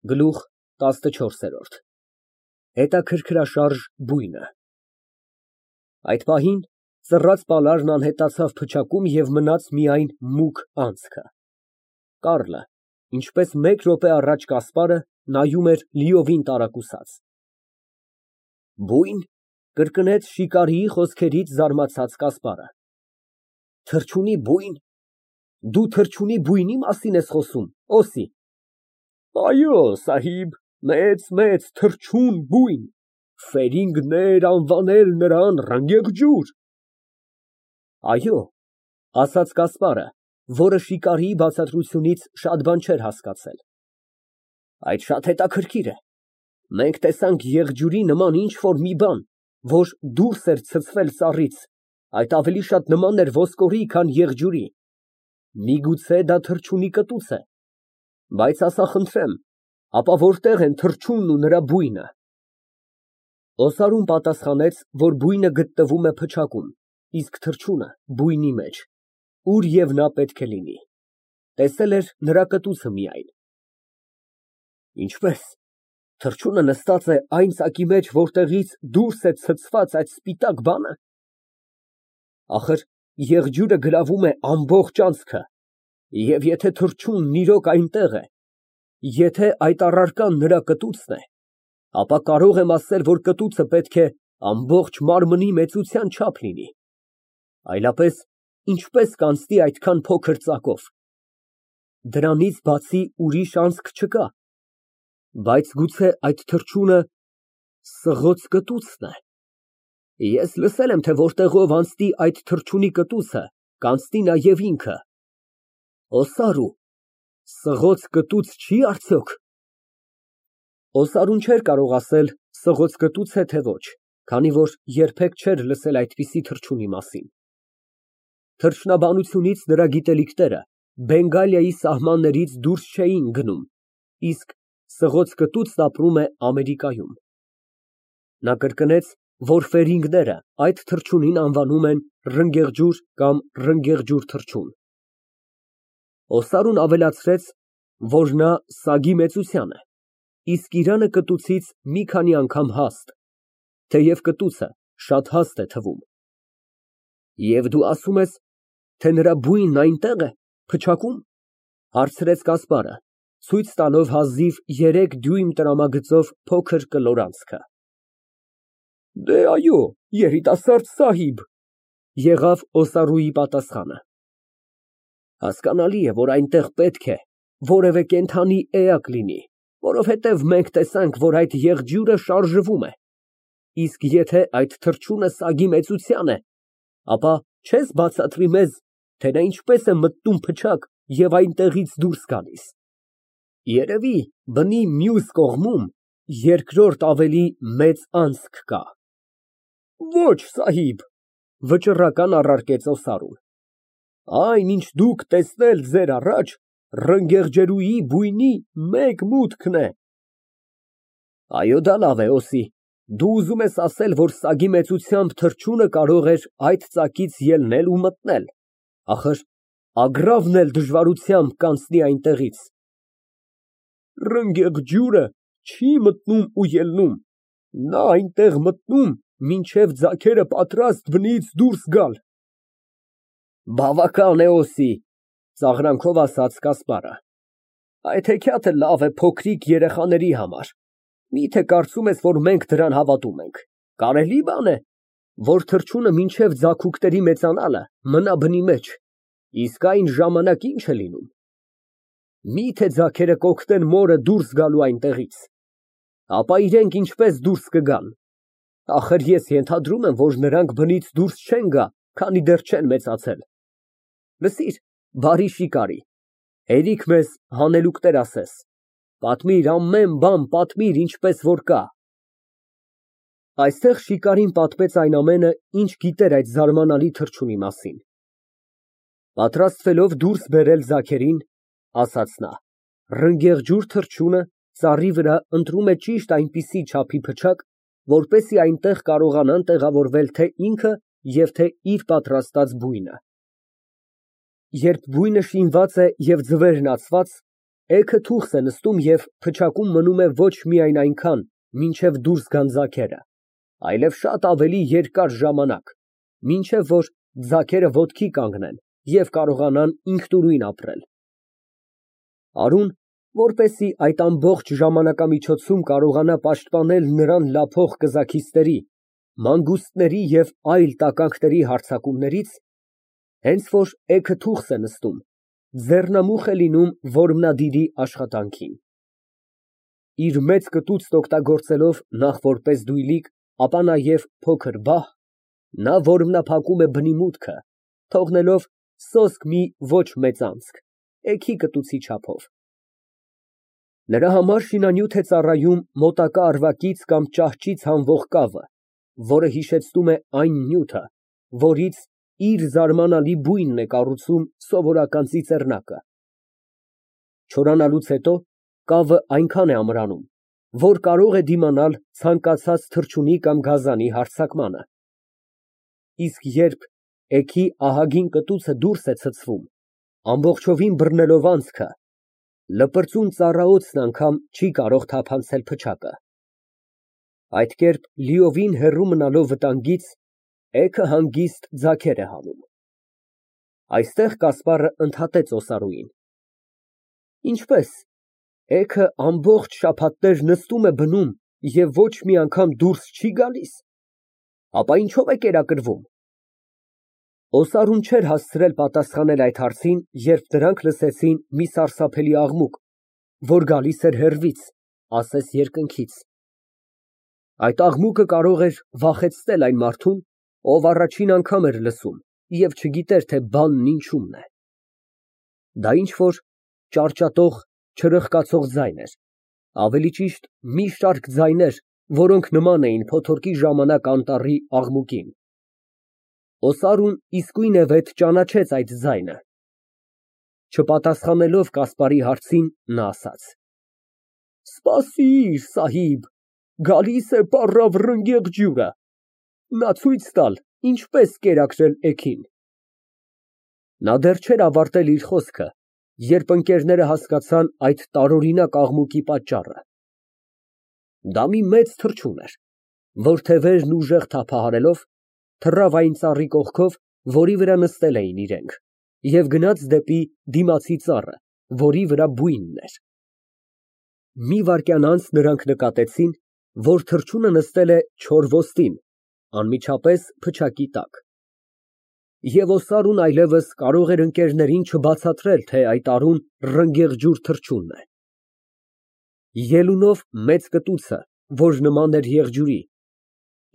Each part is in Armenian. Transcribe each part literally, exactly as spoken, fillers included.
Գլուխ տասնչորս։ Հետաքրքրաշարժ բույնը Այդ պահին ծռած պալարն անհետացավ փչակում և մնաց միայն մուգ անցքը։ Կառլը, ինչպես մեկ րոպե առաջ Կասպարը, նայում էր լիովին տարակուսած։ Բույն, կրկնեց շիկարիի խոսքերից զարմացած Կասպարը։ Թռչունի բույն, դու թռչունի բույնի մասին ես խոսում, Օսի։ Այո, սահիբ, մեծ թռչուն բույն, ֆերինգներ անվանել նրան ռնգեղջյուր։ Այո, ասաց Կասպարը, որը շիկարիի բացատրությունից շատ բան չէր հասկացել։ Այդ շատ հետաքրքիր է։ Մենք տեսանք եղջյուրի նման ինչ֊որ մի բան, որ դուրս էր ցցվել ծառից, այդ ավելի շատ նման էր ոսկորի, քան եղջյուրի։ Միգուցե դա թռչունի կտուց է։ Բայց ասա խնդրեմ, ապա որտե՞ղ են թռչունն ու նրա բույնը։ Օսարուն պատասխանեց, որ բույնը գտնվում է փչակում, իսկ թռչունը բույնի մեջ, ուր և նա պետք է լինի։ Տեսել էր նրա կտուցը միայն։ Ինչպե՞ս, թռչունը նստած է այն ծակի մեջ, որտեղից դուրս է ցցված այդ սպիտակ բանը։ Ախր եղջյուրը գրավում է ամբողջ անցքը, և եթե թռչունն իրոք այնտեղ է, եթե այդ առարկան նրա կտուցն է, ապա կարող եմ ասել, որ կտուցը պետք է ամբողջ մարմնի մեծության չափ լինի, այլապես ինչպես կանցնի այդքան փոքր ծակով։ Դրանից բացի ուրիշ անցք չկա, բայց գուցե այդ թռչունը սղոց կտուցն է։ Ես լսել եմ, թե որտեղով անցնի այդ թռչունի կտուցը, կանցնի նաև ինքը։ Օսարու, սղոց կտուց չի՞ արդյոք։ Օսարուն չէր կարող ասել սղոց կտուց է, թե ոչ, քանի որ երբեք չէր լսել այդպիսի թռչունի մասին։ Թռչնաբանությունից նրա գիտելիքները Բենգալիայի սահմաններից դուրս չէին գնում, իսկ սղոց կտուցն ապրում է Ամերիկայում։ Նա կրկնեց, որ ֆերինգները այդ թռչունին անվանում են ռնգեղջյուր կամ ռնգեղջյուր թռչուն։ Օսարուն ավելացրեց, որ նա սագի մեծության է, իսկ իրանը կտուցից մի քանի անգամ հաստ, թեև կտուցը շատ հաստ է թվում։ Եվ դու ասում ես, թե նրա բույնն այնտեղ է, փչակում, հարցրեց Կասպարը, ցույց տալով հազիվ երեք դյույմ տրամագծով փոքր կլոր անցքը։ Դե, այո, երիտասարդ սահիբ, եղավ Օսարուի պատասխանը։ Հասկանալի է, որ այնտեղ պետք է որևէ կենդանի էակ լինի, որովհետև մենք տեսանք, որ այդ եղջյուրը շարժվում է, իսկ եթե այդ թռչունը սագի մեծության է, ապա չես բացատրի մեզ, թե նա ինչպես է մտնում փչակ և այնտեղից դուրս գալիս։ Երևի բնի մյուս կողմում երկրորդ ավելի մեծ անցք կա։ Ոչ, սահիբ, վճռական առարկեց Օսարուն։ Այն, ինչ դուք տեսնել ձեր առաջ, ռնգեղջերուի բույնի մեկ մուտքն է։ Այո, դա լավ է, Օսի, դու ուզում ես ասել, որ սագի մեծությամբ թռչունը կարող էր այդ ծակից ելնել ու մտնել, ախր ագռավն էլ դժվարությամբ կանցնի այնտեղից։ Ռնգեղջյուրը չի մտնում ու ելնում, նա այնտեղ մտնում, մինչև ձագերը պատրաստ բնից դուրս գալ։ Բավական է, Օսի, ծաղրանքով ասաց Կասպարը։ Այդ հեքիաթը լավ է փոքրիկ երեխաների համար, միթե կարծում ես, որ մենք դրան հավատում ենք։ Կարելի բան է, որ թռչունը մինչև ձագուկների մեծանալը մնա բնի մեջ, իսկ այն ժամանակ ի՞նչ է լինում։ Միթե ձագերը կօգնեն մորը դուրս գալու այնտեղից, ապա իրենք ինչպես դուրս կգան։ Ախր ես ենթադրում եմ, որ նրանք բնից դուրս չեն գա, քանի դեռ չեն մեծացել։ Լսիր, բարի շիկարի, հերիք մեզ հանելուկներ ասես, պատմիր, ամեն բան պատմիր, ինչպես որ կա։ Այստեղ շիկարին պատմեց այն ամենը, ինչ գիտեր այդ զարմանալի թռչունի մասին։ Պատրաստվելով դուրս բերել ձագերին, ասաց նա, ռնգեղջյուր թռչունը ծառի վրա ընտրում է ճիշտ այնպիսի չափի փչակ, որպեսզի այնտեղ կարողանան տեղավորվել թե ինքը և թե իր պատրաստած բույնը։ Երբ բույնը շինված է և ձվերն ածված, Էգը թուղթ է նստում և փչակում մնում է ոչ միայն այնքան, մինչև դուրս գան ձագերը, այլև շատ ավելի երկար ժամանակ, մինչև որ ձագերը ոտքի կանգնեն և կարողանան ինքնուրույն ապրել։ Արուն, որպեսզի այդ ամբողջ ժամանակամիջոցում կարողանա պաշտպանել նրան լափող կզաքիստերի, մանգուստների և այլ տականքների հարձակումներից, հենց որ էգը թուղթ է նստում, ձեռնամուխ է լինում որմնադիրի աշխատանքին։ Իր մեծ կտուցն օգտագործելով նախ որպես դույլիկ, ապա նաև փոքր բահ, նա որմնափակում է բնի մուտքը, թողնելով սոսկ մի ոչ մեծ անցք, էգի կտուցի չափով։ Նրա համար շինանյութ է ծառայում մոտակա ավագից կամ ճահճից հանվող կավը, որը հիշեցնում է այն նյութը, որից իր զարմանալի բույնն է կառուցում սովորական ծիծեռնակը։ Չորանալուց հետո կավը այնքան է ամրանում, որ կարող է դիմանալ ցանկացած թռչունի կամ գազանի հարձակմանը։ Իսկ երբ էգի ահագին կտուցը դուրս է ցցվում, ամբողջովին բռնելով անցքը, լպրծուն ծառաոցն անգամ չի կարող թափանցել փչակը։ Այդ կերպ լիովին հեռու մնալով վտանգից, էգը հանգիստ ձագեր է հանում։ Այստեղ Կասպարը ընդհատեց Օսարուին։ Ինչպե՞ս, էգը ամբողջ շաբաթներ նստում է բնում և ոչ մի անգամ դուրս չի գալիս, ապա ինչո՞վ է կերակրվում։ Օսարուն չէր հասցրել պատասխանել այդ հարցին, երբ նրանք լսեցին մի սարսափելի աղմուկ, որ գալիս էր հեռվից, ասես երկնքից։ Այդ աղմուկը կարող էր վախեցնել այն մարդուն, ով առաջին անգամ էր լսում և չգիտեր, թե բանն ինչումն է։ Դա ինչ֊որ ճարճատող, չրխկացող ձայն էր, ավելի ճիշտ մի շարք ձայներ, որոնք նման էին փոթորկի ժամանակ անտառի աղմուկին։ Օսարուն իսկույնևեթ ճանաչեց այդ ձայնը։ Չպատասխանելով Կասպարի հարցին, նա ասաց. Սպասիր, սահիբ, գալիս է պառավ ռնգեղ ջուրը, նա ցույց տալ, ինչպես կերակրել էգին։ Նա դեռ չէր ավարտել իր խոսքը, երբ ընկերները հասկացան այդ տարօրինակ աղմուկի պատճառը։ Դա մի մեծ թռչուն էր, որ թևերն ուժեղ թափահարելով, թռավ այն ծառի կողքով, որի վրա նստել էին իրենք, և գնաց դեպի դիմացի ծառը, որի վրա բույնն էր։ Մի վայրկյան անց նրանք նկատեցին, որ թռչունը նստել է չոր ոստին, անմիջապես փչակի տակ։ Եվ Օսարուն այլևս կարող էր ընկերներին չբացատրել, թե այդ արուն ռնգեղջյուր թռչունն է։ Ելունով մեծ կտուցը, որ նման էր եղջյուրի,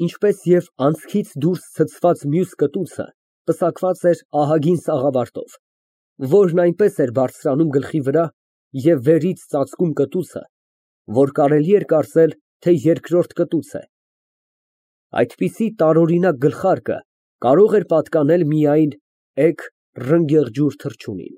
ինչպես և անցքից դուրս ցցված մյուս կտուցը, պսակված էր ահագին սաղավարտով, որն այնպես էր բարձրանում գլխի վրա և վերից ծածկում կտուցը, որ կարելի էր կարծել, թե երկրորդ կտուց է։ Այդպիսի տարօրինակ գլխարկը կարող էր պատկանել միայն էգ ռնգեղջյուր թռչունին։